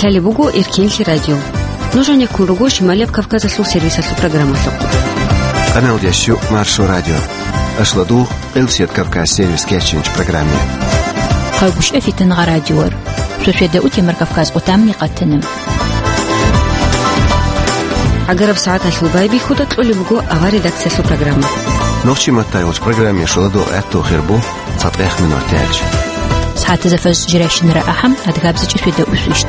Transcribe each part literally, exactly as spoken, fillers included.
Лъалеб буго Эркенлъи радио. Нуж гьанеккун руго Шималияб Кавказалъул сервисалъул программалъухъ. Къаналдиясчу Маршо радио. Ашладу, Къилсият Кавказ сервис кечинч программе. Хъагушев Фитангъа радиор. Шошеда утемар Кавказ отамни къатана. ГӀагараб сагӀаталъул байбихьуда кьолеб буго авар редакциялъул программа. Нохчи маттайгъуч программе шуладу гӀатту хирбу. Цадгъех минутаялъ. СагӀатазда фаз жирайщинара ахӀам, адгабзачӀи шведа усвищт.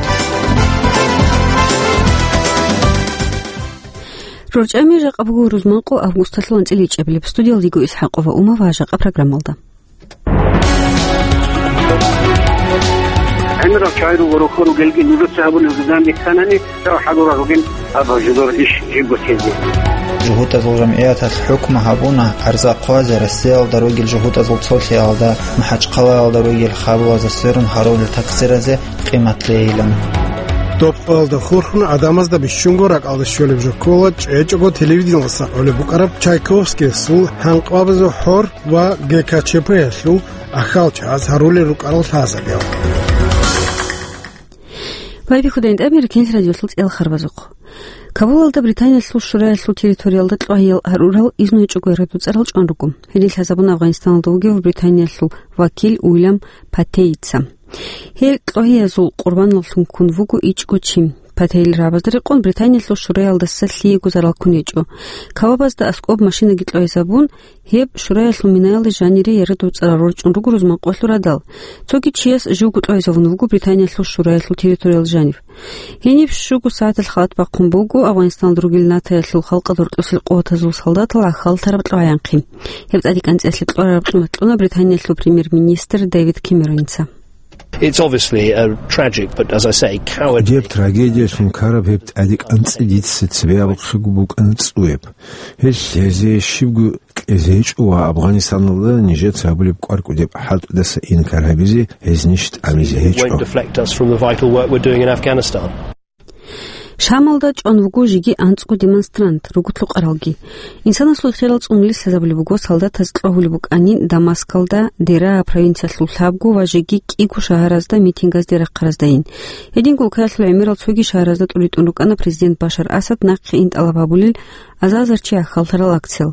РорчӀами жакъа буго рузманкъо августалъул анцӀила ичӀабилеб. Студиялдего Исхьакъова Ума ва жакъа программалда. ГӀемерал чагӀи руго рухьун ругелги нужеца гьабулеб жудан бихьанани, Жав хӀадурал ругел аб жидер иш жибго тезе. ЖугьутӀазул жамгӀияталъ хӀукму гьабуна, гӀарза хъвазе Россиялда ругел жугьутӀазул цолъиялда, МахӀачхъалаялда ругел хабулазда сверун гьарулел такъсиразе къимат лейилан. Доб къоялда хурхун гӀадамазда бищунго ракӀалде щолеб жо ккола чӀечӀого телевидениялдаса кьолеб букӀараб Чайковскийасул гьанкъабазул хӀор ва Г К Ч П-ялъул ахьалчагӀаз гьарулел рукӀарал лъазабиял. Байбихьуда, ин тӀамир кенс радиолъул цӀел харбазухъ. Кабулалда Британиялъул Шураялъул территориялда кьвагьиял гьарурал изну гьечӀого ярадуцӀарал чӀван руго. Гьедин лъазабун Афганистаналда вугев Британиялъул вакил Уильям Патейица. Гьел кьвагьиязул къурбаналлъун ккун вуго ичӀго чи. Патейил рагӀабазда рекъон Британиялъул Шураялдаса лъиего зарал ккун гьечӀо. Кабабазда аскӀоб машинаги кьвагьизабун, гьеб Шураялъул минаялда жанире ярадуцӀарал рорчӀун руго рузман къоялъул радал. Цоги чияс живго кьвагьизабун вуго Британиялъул Шураялъул территориял жанив. Гьениб щуго сагӀаталъ халат бахъун буго Афганистаналда ругел НАТОялъул халкъалда рорчӀосел къуватазул солдатал гӀахьаллъараб кьвагӀаянхъи. Гьеб тӀадекӀанцӀиялъе кьвараб цӀуматлъуна Британиялъул премьер-министр Дэвид Кэмероница. It's obviously a tragic, but as I say, cowardly. Гьеб трагедиялъун ккараб гьеб тӀадекӀанцӀи дица цебе абухъего букӀана цӀуяб. Гьелъ гьезие щибго кьезе гьечӀо ва Афганистаналда нижеца гьабулеб кӀваркӀудеб хӀалтӀудаса инкар гьабизе, гьез ниж тӀамизе гьечӀо. Won't deflect us from the vital work we're doing in Afghanistan. Шамалда чӀван вуго жеги анцӀго демонстрант, руго лъукъаралги. Инсанасул хирал цӀунули лъазабулеб буго солдатаз кьвагьулеб букӀанин Дамаскалда, Дераа провинциялъул лъабго ва жеги кӀиго шагьаразда митингазде рахъараздайин. Гьединго улкаялъул гӀемерал цоги шагьаразда тӀуритӀун рукӀана президент Башар Асад нахъе ин тӀалаб гьабулел азазарчи гӀахьаллъарал акциял.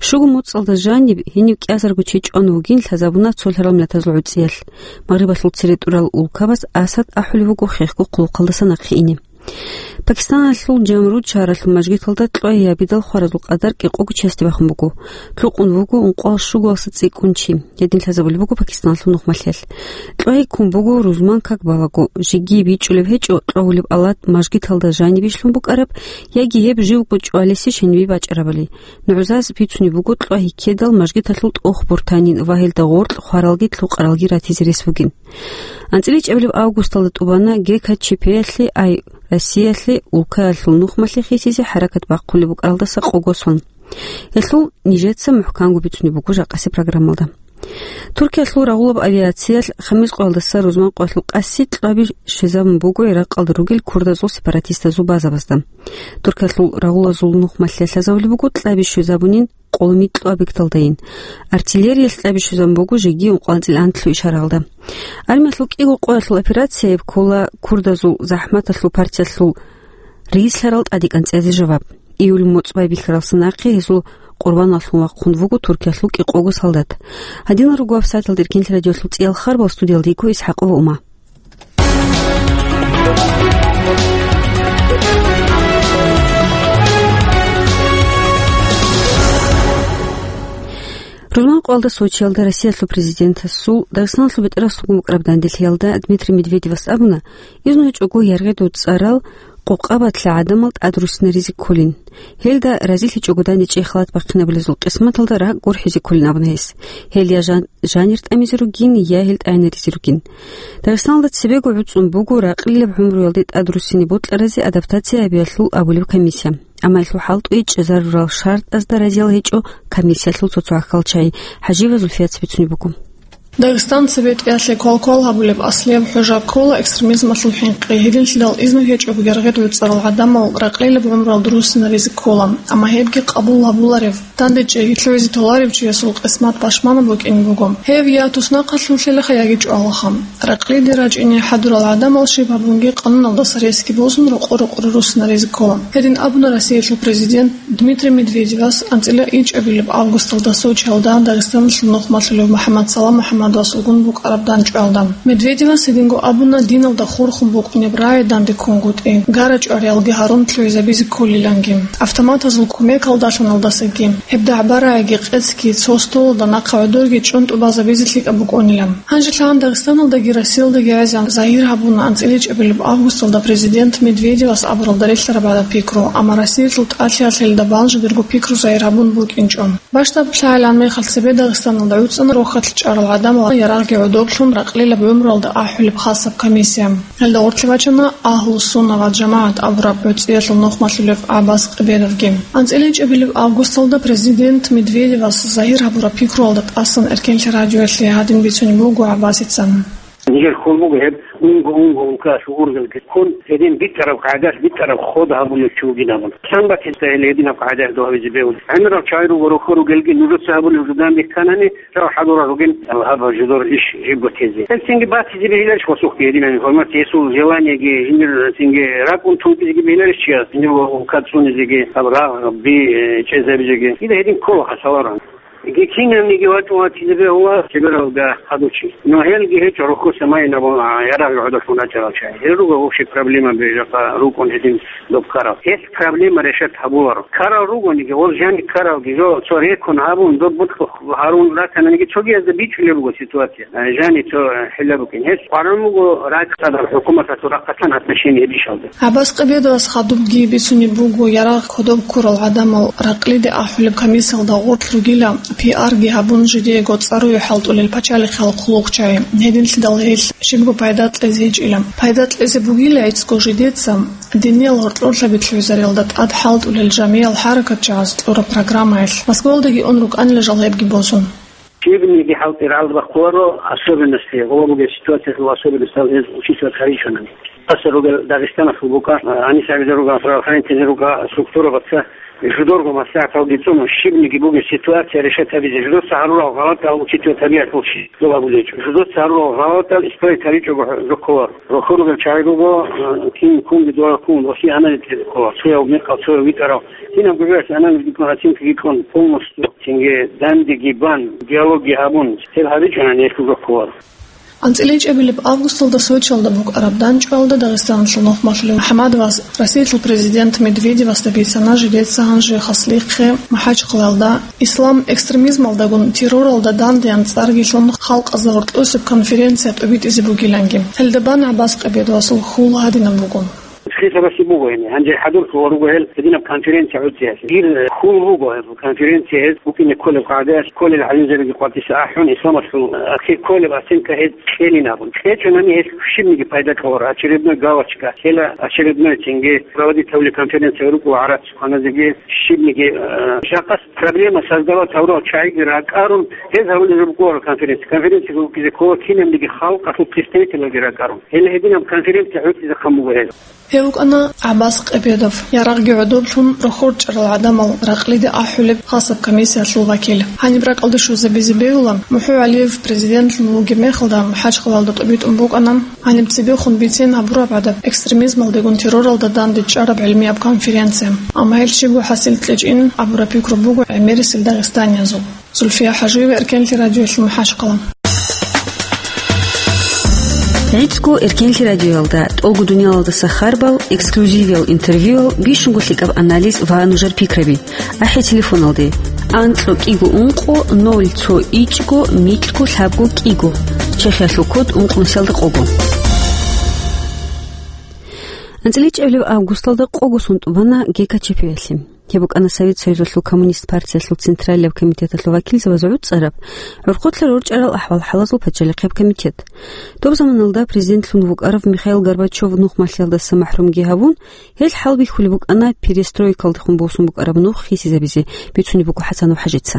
Щуго моцӀалда жаниб гьенив кӀиазарго чи чӀван вугин лъазабуна цолъарал миллатазул гӀуцӀиялъ. Магърибалъул цере тӀурал улкабаз Асад ахӀулев вуго хехго хъулухъалдаса нахъе ине. Пакистаналъул Жамруд шагьаралъул мажгиталда кьвагьиябидал хваразул къадар кӀикъого чиясде бахун буго. Лъукъун вуго ункъоялъ щугоялдаса цӀикӀкӀун чи. Гьедин лъазабулеб буго Пакистаналъул нухмалъиялъ. КьвагӀи ккун буго рузман как балаго, жеги бичӀчӀулеб гьечӀо кьвагьулеб алат мажгиталда жаниб ишлъун букӀараб, яги гьеб живго чӀвалеси щенибе бачӀарабали. НугӀзаз бицунеб буго кьвагьи ккедал мажгиталъул тӀох бортанин ва гьелда гъоркь хваралги лъукъаралги ратизе рес бугин. АнцӀила ичӀабилеб августалда тӀубана Г К Ч П-ялъе, ай Россиялъе, улкаялъул нухмалъе хисизе хӀаракат бахъулеб букӀаралдаса къого сон. Гьелъул нижеца мухӀканго бицунеб буго жакъасе программалда. Туркиялъул рагъулаб авиациялъ Хамис къоялдаса рузман къоялъул къаси кьваби щвезабун буго Иракъалда ругел курдазул сепаратистазул базабазда. Туркиялъул рагъулазул нухмалъе лъазабулеб буго кьаби щвезабунин къолми кьвабигдалдайин. Артиллериялъ кьаби щвезабун буго жеги ункъоялда анцӀила анлъго ишаралда. Армиялъул кӀиго къоялъул операцияб ккола курдазул захӀматалъул партиялъул рийслъарал тӀадекӀанцӀиялъе жаваб. Июль моцӀ байбихьаралса нахъе гьезул къурбаналлъун вахъун вуго Туркиялъул кӀикъого солдат. Гьадинал руго вебсайталда Эркенлъи радиолъул цӀиял харбал, студиялда йиго ИсхӀакъова Ума. Рузман къоялда Сочиялда Россиялъул президентасул Дагъистаналъул бетӀерасулгун букӀараб данделъиялда Дмитрий Медведевас абуна, изну гьечӀого яргъи дуцӀарал къокъабалъ гӀадамал тӀадруссинаризе кколин. Гьелда разилъичӀого дандечӀей халат бахъинабулезул къисматалда ракӀ гурхӀизе кколин абуна гьес. Гьел я жан-, жанир тӀамизе ругин, я гьел тӀайнаризе ругин. Дагъистаналда цебего гӀуцӀун буго ракълилаб гӀумруялде тӀадруссине бокьаразе адаптация гьабиялъул абулеб комиссия. Амма гьелъул хӀалтӀуе чӀезарурал шартӀазда разиял гьечӀо комиссиялъул цо-цо гӀахьалчагӀи. ХӀажиева Зульфияца бицунеб буго. Дагъистан цебетӀиялъе квал-квал гьабулеб аслияб хӀужа ккола экстремизмалъул хӀинкъи. Гьединлъидал изну гьечӀого гергъи гӀуцӀарал гӀадамал ракълилаб гӀумруялда руссинаризе ккола, амма гьебги къабул гьабуларев, данде чӀеги лъугӀизе толарев чиясул къисмат пашманаб букӀине буго. Гьев я туснахъалъулъилаха, яги чӀвалаха. Ракълиде рачӀине хӀадурал гӀадамал щиб гьабунги къануналдаса ресги босун рокъо-рокъоре руссинаризе ккола. Гьедин абуна Россиялъул президент Дмитрий Медведевас анцӀила ичӀабилеб августалда Сочиялда Дагъистаналъул нухмалъулев МухӀаммадсалам МухӀаммадовасулгун букӀараб данчӀвалда. Медведевас гьединго абуна диналда хурхун букӀунеб рагӀи данде ккунгутӀи, гара-чӀвариялги гьарун лъугӀизабизе кколиланги. Автоматазул кумекалдалъуналдасаги, гьеб дагӀба-рагӀиги къецги цо столалда нахъа гӀодорги чӀунтӀу базабизе лъикӀаб букӀунилан. Гьанже лъагӀан Дагъистаналдаги Россиялдаги гӀезегӀан загьир гьабуна анцӀила ичӀабилеб августалда президент Медведевас абуралда релълъараб гӀадаб пикру, амма Россиялъул тӀалъиялъ гьелда бан жидерго пикру загьир гьабун букӀинчӀо. Бащдаб лъагӀалан мехалъ цебе Дагъистаналда гӀуцӀана рохьалъ чӀарал гӀадамал ярагъги гӀодоблъун ракълилаб гӀумруялда ахӀулеб хасаб комиссия. Гьелда гъорлъе бачана Агьлу-Сунна ва ЖамагӀат абураб гӀуцӀиялъул нухмалъулев ГӀаббас Къебедовги. АнцӀила ичӀабилеб августалда президент Медведевас загьир гьабураб пикруялда тӀасан Эркенлъи радиоялъе гьадин бицунеб буго ГӀаббасица. Нижер хьул буго гьеб унго-унго улкаялъул ургъелги ккун, гьедин битӀараб къагӀидаялъ битӀараб ход гьабулев чи вугин абун. Лъан батила гьел гьединаб къагӀидаялъ дов гьабизе бегьулеб. ГӀемерал чагӀи руго, рохьо ругелги, нужеца гьабулеб жо данде кканани, жав хӀадурал ругин, гьаб жидер иш жибго тезе. Гьел цинги батизе бегьиларищ гъосухъги гьединаб информация, гьесул желаниеги, жиндир цинги ракӀун тункӀизеги бегьиларищ чияс, жиндир улка цӀунизеги, гьаб рагъ би, э, чӀезабизеги. Дида гьедин ккола хасаларан. Гьеб кинабниги вачӀун ватизе бегьула чебералда гьадучи. Но гьелги гьечӀо рухьуса майнабун, а, ярагъ гӀодолъун рачӀарал чагӀи. Гьел руго вообще проблема бижахъа рукӀун гьедин доб ккарал. Гьес проблема решать гьабуларо. Ккарал ругониги, гъол жани ккаралги, жо цо рекун гьабун, доб бутӀрул гьарун ратананиги, цогиязда бичӀчӀулеб буго ситуация. А, жани цо, а, хӀилла букӀин. Гьес къваран буго ракӀ цадахъ хӀукуматалъул рахъалъан отношение гьеб ишалда. ГӀаббас Къебедовас хадубги бицунеб буго, ярагъ кодоб ккурал гӀадамал ракълиде ахӀулеб комиссиялда гъорлъ ругила, пиарги гьабун, жидеего цӀаруе хӀалтӀулел пачалихъал хъулухъчагӀи, гьединлъидал гьелъ щибго пайда кьезе гьечӀила. Пайда кьезе бугила гӀицӀго жидеца, диниял гьоркьорлъаби лъугӀизариялда тӀад хӀалтӀулел жамиял хӀаракатчагӀаз кьураб программаялъ. Москвалдаги ун рукӀанила жал гьебги босун. Щибниги хӀалтӀи рагӀалдабахъуларо, особенности, гъоба бугеб ситуациялъул особенностал гьез учитывать гьаричӀунани. ТӀаса ругел Дагъистаналъул букӀа, гьанисабизе ругел, правоохранительзе ругел структурабаца жидерго маслигӀаталги цӀуна, щибниги бугеб ситуация решать гьабизе, жидеца гьарурал гъалатӀал учитывать гьабиялъул щиб доб абулечӀо. Жидеца гьарурал гъалатӀал исправить гьаричӀого жо кколаро. Рохьо ругел чагӀи руго, э, кин кунги дора кун, ва хи анализ ккола, цояв мекъал, цояв витӀарав. Кинабго жоялъе анализги ккун, оценкаги ккун, полностью цинги дандеги бан, диалогги гьабун, гьеб гьабичӀунани гьелъул рохьулар. АнцӀила ичӀабилеб августалда Сочиялда букӀараб данчӀвалда Дагъистаналъул нухмалъулев МухӀаммадовас Россиялъул президент Медведевасда бицана жидеца гьанже хаслихъе МахӀачхъалаялда ислам экстремизмалдагун терроралда дандеян цӀарги лъун халкъазда гьоркьосеб конференция тӀобитӀизе бугиланги. Гьелда бан ГӀаббас Къебедовасул хьул гьадинаб буго. Хисабаси буго гьениб. Гьанже хӀадурлъула руго гьел гьединаб конференция гӀуцӀиялъе. Дир хьул буго гьеб конференция гьез букӀине кколеб къагӀидаялъ, кколел гӀалимзабиги къватӀиса ахӀун, исламалъул ахир кколеб оценка гьез кьелин абун. КьечӀунани гьелъ щибниги пайда кьоларо, очередной галочка, кьела очередной цинги проводить гьабулеб конференция рукӀула гӀарац. Ханазеги щибниги, э, жакъас проблема создавать гьавурал чагӀиги ракӀарун, гьез гьавулел рукӀунаро конференция. Конференцияго рукӀизе ккола кинабниги халкъалъул представителалги ракӀарун. Гьеле гьединаб конференция гӀуцӀизехъан буго гьез. Гьев вукӀана ГӀаббас Къебедов, ярагъги гӀодоблъун рохьорчӀарал гӀадамал ракълиде ахӀулеб хасаб комиссиялъул вакил. Гьаниб ракӀалде щвезабизе бегьула, МухӀу ГӀалиев президентлъун вугеб мехалда МахӀачхъалаялда тӀобитӀун букӀана гьаниб цебехун бицен гьабураб гӀадаб экстремизмалдегун терроралда данде чӀараб гӀилмияб конференция. Амма гьел щибго хӀасил кьечӀин абураб пикру буго гӀемерисел дагъистаниязул. Зульфия ХӀажиева, Эркенлъи радиоялъ, МахӀачхъала. ГӀицӀго Эркенлъи радиоялда тӀолго дуниялалдаса харбал, эксклюзивиял интервьюял, бищунго лъикӀаб анализ ва нужер пикраби. АхӀе телефоналде: анкьго кӀиго ункъо ноль цо ичӀго микьго лъабго кӀиго, Чехиялъул код ункънусиялда къого. АнцӀила ичӀабилеб августалда къого сон тӀубана ГКЧП-ялъе. Гьеб букӀана Совет Союзалъул Коммунист партиялъул Централияб комитеталъул вакилзабаз гӀуцӀараб, гӀурхъулъа рорчӀарал ахӀвал-хӀалазул пачалихъияб комитет. Доб заманалда президентлъун вукӀарав Михаил Горбачев нухмалъиялдаса махӀрумги гьавун, гьел хӀалбихьулеб букӀана перестройкалдехун босун букӀараб нух хисизабизе, бицунеб буго ХӀасанов ХӀажица.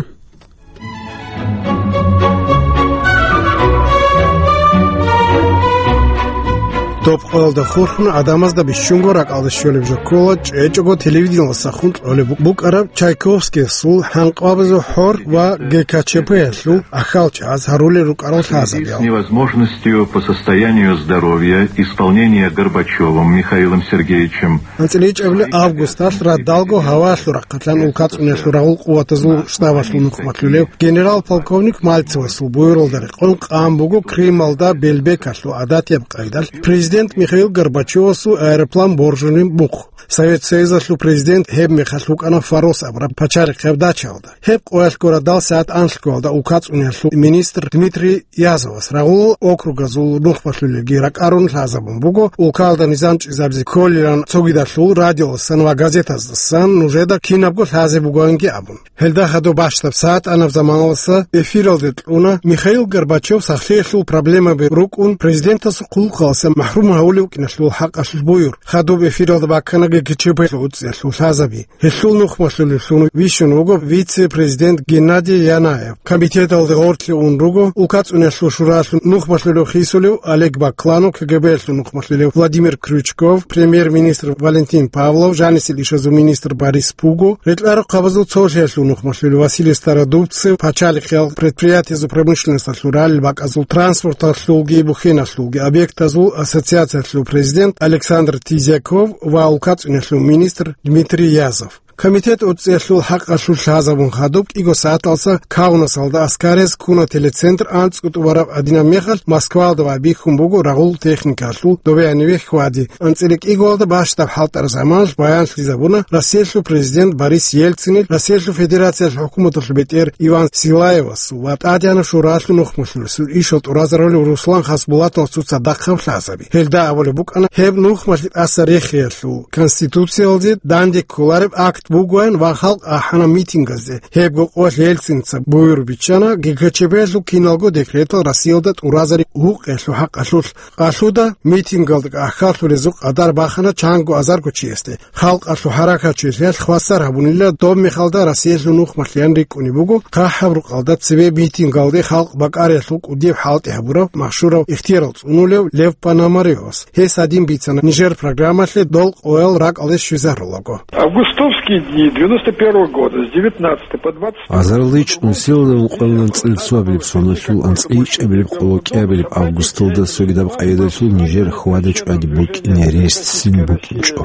Къоялда хурхун гӀадамазда бищунго ракӀалде щолеб жо ккола, чӀечӀого телевидениялдасахун кьолеб букӀараб Чайковскиясул, ХӀанкъабазул хӀор ва ГКЧП-ялъул ахьалчагӀаз гьарулел рукӀарал лъазабиял. С невозможностью по состоянию здоровья исполнения Горбачевым Михаилом Сергеевичем. АнцӀила ичӀабилеб августалъ радалго гьаваялъул рахъалъан улкацӀунелъул рагъул къуватазул штабалъул нухмалъулев генерал-полковник Мальцевасул буюралда рекъон къан буго Крымалда Белбекалъул гӀадатияб къайдалъ президент Михаил Горбачевасул аэроплан боржунеб мухъ. Совет Союзалъул президент гьеб мехалъ вукӀана Фарос абураб пачалихъияб дачаялда. Гьеб къоялъго радал сагӀат анлъгоялда улкацӀунелъул министр Дмитрий Язовас рагъул округазул нухмалъулелги ракӀарун лъазабун буго, улкалда низам чӀезабизе кколилан цогидалъул радиоялдасан ва газетаздасан нужеда кинабго лъазе бугоанги абун. Гьелда хадуб бащдаб сагӀат анаб заманалдаса эфиралде кьуна Михаил Горбачев сахлъиялъул проблемаби рукӀун президентасул хъулухъалдаса махӀрум гьавулев вукӀиналъул хӀакъалъулъ буюр. Хадуб эфиралда баккана ГКЧП-лъул уцӀиялъул лъазаби. Гьелъул нухмалъулевлъун вищун вуго вице-президент Геннадий Янаев. Комитеталде гъорлъе ун руго улкацӀунелъул шуралъул нухмалъулев хисулев Олег Бакланов, КГБ-лъул нухмалъулев Владимир Крючков, премьер-министр Валентин Павлов, жанисел ишазул министр Борис Пуго, рекьарухъабазул цолъиялъул нухмалъулев Василий Стародубцев, пачалихъиял предприятиязул промышленносталъул ралел бакӀазул, транспорталъулги бухьиналъулги объектазул ассоциациялъул президент Александр Тизяков ва улкацӀунелъул министр Дмитрий Язов. Комитет уцӀиялъул хӀакъалъулъ лъазабун хадуб кӀиго сагӀаталдаса Каунасалда аскарияз ккуна телецентр, анцӀго тӀубараб гьадинаб мехалъ Москваялда байбихьун буго рагъул техникалъул добеяниве хьвади. АнцӀила кӀигоялда бащдаб хӀалтӀараб заманалъ баянлъизабуна Россиялъул президент Борис Ельцинил, Россиялъул Федерациялъул хӀукуматалъул бетӀер Иван Силаевасул ва ТӀадегӀанаб Шуралъул нухмалъулесул ишал тӀуразарулев Руслан Хасбулатовасул цадахъаб лъазаби. Гьелда абулеб букӀана, гьеб нухмалъи тӀаса рехиялъул Конституциялде данде кколареб акт бугоян ва халкъ ахӀана митингазде. Гьебго къоялъ Ельцинца буюр биччана ГКЧП-ялъул киналго декретал Россиялда тӀуразари гьукъиялъул хӀакъалъулъ. Къалъуда митингалда ахьаллъулезул къадар бахана чанго азарго чиясде. Халкъалъул хӀаракатчилъиялъ хвасар гьабунила, доб мехалда Россиялъул нухмалъиян рикӀкӀунеб буго хъахӀаб рукъалда цебе митингалде халкъ бакӀариялъул кӀудияб хӀалтӀи гьабурав, машгьурав ихтияр цӀунулев Лев Пономарёвас. Гьес гьадин бицана нижер программалъе дол къоял ракӀалде щвезарулаго. Августовские дни девяносто первого года с девятнадцатого по двадцать второй год. Азарилда ичӀнусиялда ункъоялда анцӀила цоабилеб соналъул анцӀила ичӀабилеб къоло кӀиабилеб августалда цогидаб къайдалъул нижер хьвада-чӀвади букӀине рес ццин букӀинчӀо.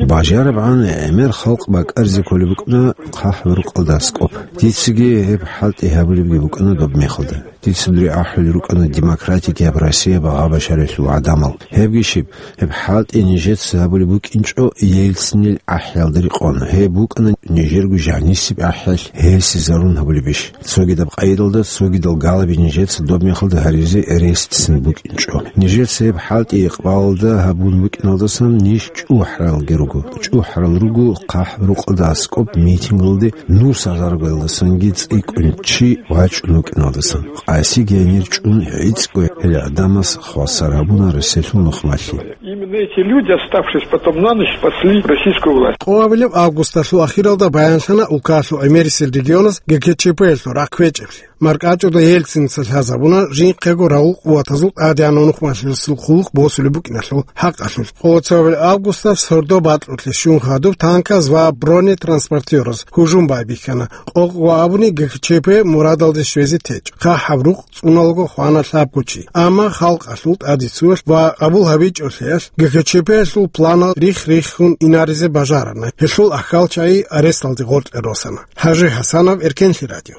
БажарабгӀан гӀемер халкъ бакӀаризе кколеб букӀана хъахӀ рукъалда аскӀоб. Дицаги гьеб хӀалтӀи гьабулебги букӀана доб мехалда. Дица дур ахӀулел рукӀана демократияб Россия багъа-башаралъул гӀадамал. Гьебги щиб, гьеб хӀалтӀи нижеца гьабулеб букӀинчӀо Ельцинил ахӀиялда рекъон. Гьеб букӀана нижерго жанисеб ахӀиялъ гьесизарун гьабулебищ? Цогидаб къайдалда, цогидал галаби нижеца доб мехалда гьаризе рес ццин букӀинчӀо. Нижеца гьеб хӀалтӀи икъбалалда гьабун букӀиналдасан ниж чӀухӀаралги руго. ЧӀухӀарал руго хъахӀ рукъалда аскӀоб митингалде нус азаргоялдасанги цӀикӀкӀун чи вачӀун вукӀиналдасан. Къаси генир чӀун гӀицӀго гьел гӀадамаз хвасар гьабуна Россиялъул нухмалъи. Именно эти люди, оставшись потом на ночь, спасли российскую власть. Къоабилеб августалъул ахиралда баянлъана улкалъул гӀемерисел регионаз ГКЧП-ялъул рахъ кквечӀеблъи. МаркӀачӀуда Ельцинца лъазабуна жинхъего рагъул къуватазул ТӀадегӀанав нухмалъулесул хъулухъ босулеб букӀиналъул хӀакъалъулъ. Къоло цоабилеб августалъ сордо бакьулъе щун хадуб танказ ва бронетранспортераз гьужум байбихьана. Къокъго абуни ГКЧП мурадалде щвезе течӀ. ХъахӀаб рукъ цӀуналго хвана лъабго чи. Амма халкъалъул тӀадицуялъ ва къабул гьабичӀолъиялъ ГКЧП-ялъул планал рихх-риххун инаризе бажарана. Гьелъул ахьалчагӀи аресталде гъоркье росана. ХӀажи ХӀасанов, Эркенлъи радио.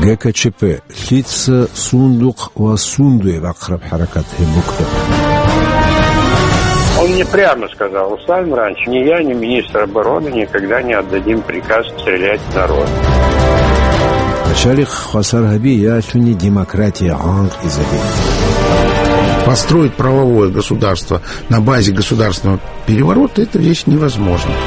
ГКЧП. Лъица, сундухъ ва сундуе бахъараб хӀаракат гьеб букӀа. Он мне прямо сказал: «Руслан Имранович, ни я, ни министр обороны никогда не отдадим приказ стрелять в народ». Пачалихъ хвасар гьаби ялъуни демократия гӀанкъизаби. Построить правовое государство на базе государственного переворота — это вещь невозможная.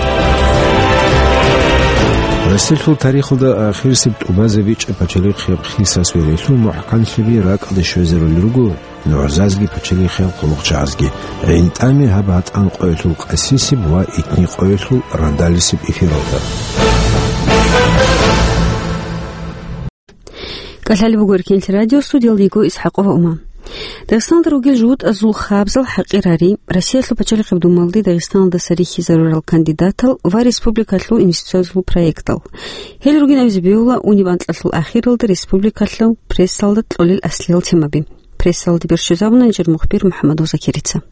Россиялъул тарихалда ахирисеб тӀубазабичӀеб пачалихъияб хисас верелъул мухӀканлъиби ракӀалде щвезарулел руго нугӀзазги пачалихъиял хъулухъчагӀазги. ГӀинтӀаме гьаб гьатӀан къоялъул къасисеб ва итни къоялъул радалисеб эфиралда. КӀалъалеб буго Эркенлъи радио, студиялда йиго ИсхӀакъова Ума. Дагъистаналда ругел жугьутӀазул хабзал хӀакъир гьари Россиялъул пачалихъаб думалде Дагъистаналдаса рихьизарурал кандидатал ва республикалъул инвестициязул проектал. Гьел ругин абизе бегьула униб анкьалъул ахиралда республикалъул прессалда кьолел аслиял темаби. Прессалде берщизабуна нижер мухбир МухӀаммадов Закирица.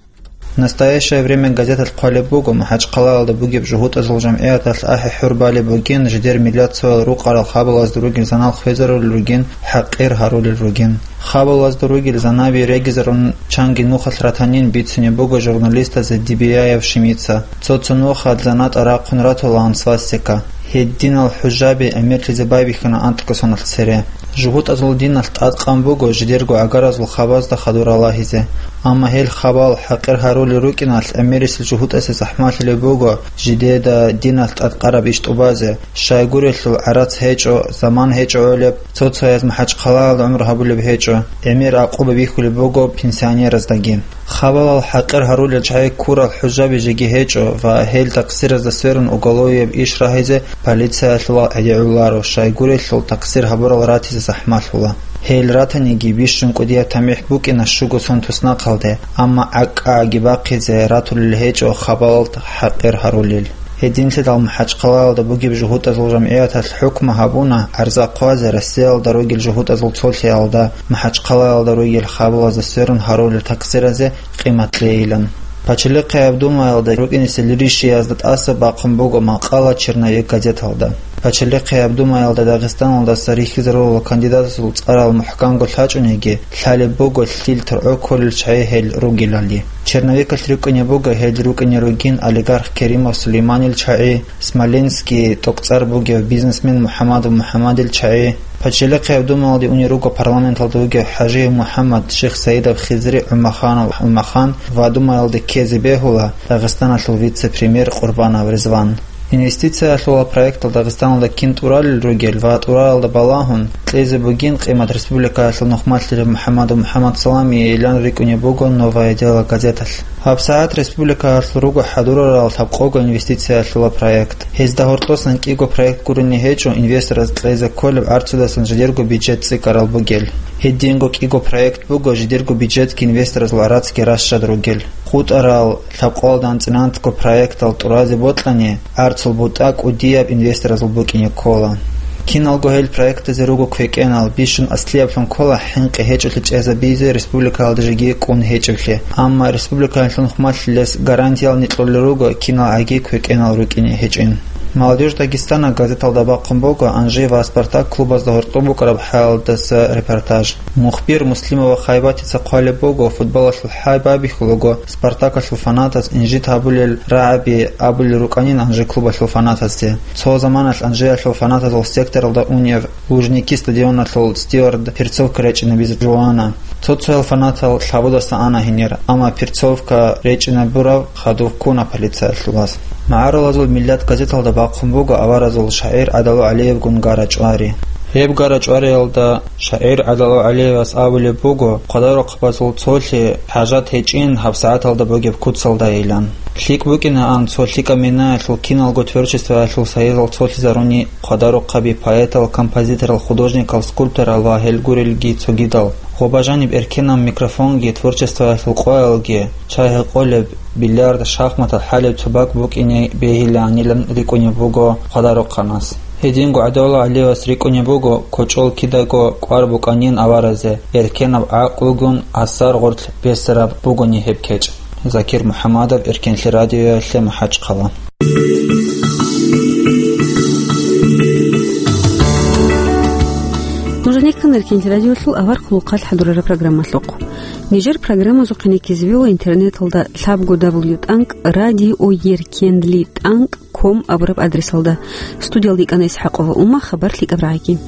Настоящее время газеталъ хъвалеб буго, МахӀачхъалаялда бугеб жугьутӀазул жамгӀияталъ ахӀи-хӀур балеб бугин, жидер миллат цоял рукъарал хабалазда ругел занал хвезарулел ругин, хӀакъир гьарулел ругин. Хабалазда ругел занаби регизарун чанги нухалъ ратанин бицунеб буго журналистазе Дибияев Шимица. Цо-цо нухалъ занатӀа рахъун ратулаан свастика. Гьединал хӀужаби гӀемерлъизе байбихьана анкьго соналъ цере. ЖугьутӀазул диналъ тӀадкъан буго жидерго гӀагаразул хабазда хадур ралагьизе. Амма гьел хабал хӀакъир гьарулел рукӀиналъ гӀемерисел жугьутӀасе захӀмалъулеб буго жидеда диналъ тӀадкъараб иш тӀубазе, щайгурелъул гӀарац гьечӀо, заман гьечӀо гӀолеб, цо-цояз МахӀачхъалаялда гӀумру гьабулеб гьечӀо, гӀемер гӀакъуба бихьулеб буго пенсионераздаги. Хабалал хӀакъир гьарулел чагӀи ккурал хӀужаби жеги гьечӀо ва гьел такъсиразда сверун уголовияб иш рагьизе полициялъул гӀедегӀуларо, щайгурелъул такъсир гьабурал ратизе захӀмалъула. Гьел ратаниги бищун кӀудияб тамихӀ букӀина щуго сон туснахъалде, амма гӀакӀаги бахъизе ратулел гьечӀо хабалал хӀакъир гьарулел. Гьединлъидал МахӀачхъалаялда бугеб жугьутӀазул жамгӀияталъ хӀукму гьабуна гӀарза хъвазе Россиялда ругел жугьутӀазул цолъиялда, МахӀачхъалаялда ругел хабалазда сверун гьарулел такъсиразе къимат лейилан. Пачалихъияб Думаялда рукӀинесел ришиязда тӀаса бахъун буго макъала «Черновик» газеталда. Пачалихъияб Думаялда Дагъистаналдаса рихьизарулел кандидатазул цӀарал мухӀканго лъачӀониги, лъалеб буго лъил-торгӀо кколел чагӀи гьел ругелали. «Черновикалъ» рикӀкӀунеб буго гьел рукӀине ругин олигарх Керимов Сулейманил чагӀи, Смоленский тӀокӀцӀар бугев бизнесмен МухӀамадов МухӀамадил чагӀи. Пачалихъияб Думаялде унел руго парламенталда вугев ХӀажиев МухӀаммад, Шихсаидов Хизри, ГӀумаханов ГӀумахан ва Думаялде ккезе бегьула Дагъистаналъул вице-премьер Къурбанов Ризван. Инвестициялъула проектал Дагъистаналда кин тӀуралел ругел ва тӀуралалда балагьун кьезе бугин къимат республикаялъул нухмалъилев МухӀамадов МухӀамад Саламиейилан рикӀкӀунеб буго «Новое дело» газеталъ. ГьабсагӀат республикаялъул руго хӀадурарал лъабкъого инвестициялъула проект. Гьезда гьоркьосан кӀиго проект гурони гьечӀо инвестораз кьезе кколеб гӀарцудасан жидерго бюджет цӀикӀкӀарал бугел. Гьединго кӀиго проект буго жидерго бюджетги инвесторазул гӀарацги ращад ругел. КъутӀарал лъабкъоялда анцӀила анцӀго проектал тӀуразе бокьани, гӀарцул бутӀа кӀудияб инвесторазул букӀине ккола. Киналго гьел проектазе руго квекӀенал, бищун аслияблъун ккола хӀинкъи гьечӀолъи чӀезабизе республикаялда жеги кӀун гьечӀеблъи. Амма республикаялъул нухмалъилес гарантиял никьулел руго кинал гӀаги квекӀенал рукӀине гьечӀин. «Молодёжь Дагестана» газеталда бахъун буго Анжи ва «Спартак» клубазда гьоркьоб букӀараб хӀалалдаса репортаж. Мухбир Муслимова Хайбатица хъвалеб буго, футболалъул хӀай байбихьулаго, «Спартакалъул» фанатаз инжит гьабулел рагӀаби абулел рукӀанин Анжи клубалъул фанатазде. Цо заманалъ Анжиялъул фанатазул секторалда унев Лужники стадионалъул стюард перцовка речӀинабизе жуана. Цо-цоял фанатал лъабудаса ана гьенир, амма перцовка речӀинабураб хадув ккуна полициялъулаз. «МагӀарулазул миллат» газеталда бахъун буго аваразул шагӀир ГӀадалу ГӀалиевгун гара-чӀвари. Гьеб гара-чӀвариялда шагӀир ГӀадалу ГӀалиевас абулеб буго, хъвадарухъабазул цолъи хӀажат гьечӀин гьабсагӀаталда бугеб куцалдайилан. ЛъикӀ букӀинаан цо лъикӀаб минаялъул киналго творчествоялъул сайизал цолъизаруни хъвадарухъаби поэтал, композиторал, художникал, скульпторал ва гьел гурелги цогидал. Гъоба жаниб эркенаб микрофонги, творчествоялъул къоялги, чай гьекъолеб, бильярд, шахматал хӀалеб цо бакӀ букӀине бегьилаанилан рикӀкӀунеб буго хъвадарухъанас. Гьединго ГӀадалу ГӀалиевас рикӀкӀунеб буго, кочӀол кидаго кӀвар букӀанин аваразе, эркенаб гӀакълугун асар гъорлъ бесараб бугони гьеб кечӀ. Закир МухӀамадов, Эркенлъи радиоялъе, МахӀачхъала. Нуж гьанир ккана Эркенлъи радиолъул авар хъулухъалъ хӀадурараб программалъухъ. Нижер программазухъе ккезабила интернеталда лъабго дабл ю тӀанкӀ радио еркенлъи тӀанкӀ ком абураб адресалда. Студиялда йикӀана ИсхӀакъова Ума, хабар лъикӀаб рагӀиги.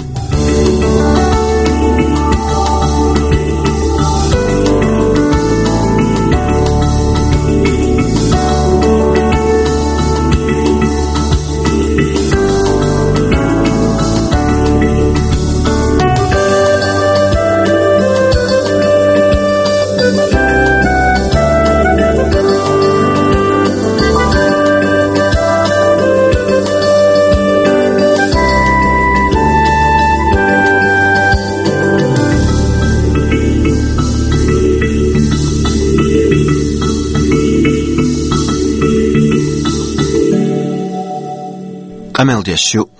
Амалдияс щук